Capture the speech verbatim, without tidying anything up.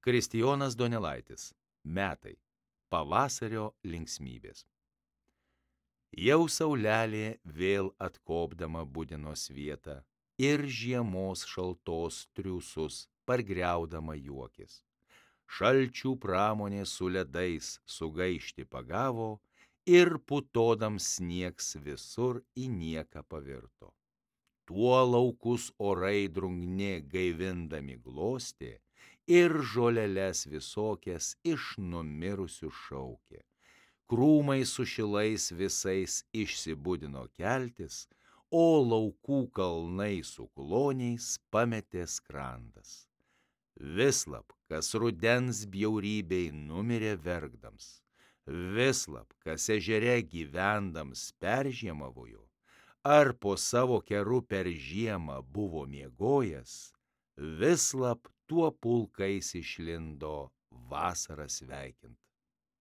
Kristijonas Donelaitis. Metai. Pavasario linksmybės. Jau saulelė vėl atkopdama budinos vietą ir žiemos šaltos triūsus pargriaudama juokis. Šalčių pramonė su ledais sugaišti pagavo ir putodams sniegs visur į nieką pavirto. Tuo laukus orai drungnė gaivindami glostė ir žoleles visokias iš numirusių šaukė. Krūmai su šilais visais išsibudino keltis, o laukų kalnai su kloniais pametė skrandas. Vislab, kas rudens bjaurybei numirė verkdams, vislab, kas ežere gyvendams peržiemavojo, ar po savo keru per žiemą buvo miegojęs, vislab tuo pulkais išlindo vasarą sveikint.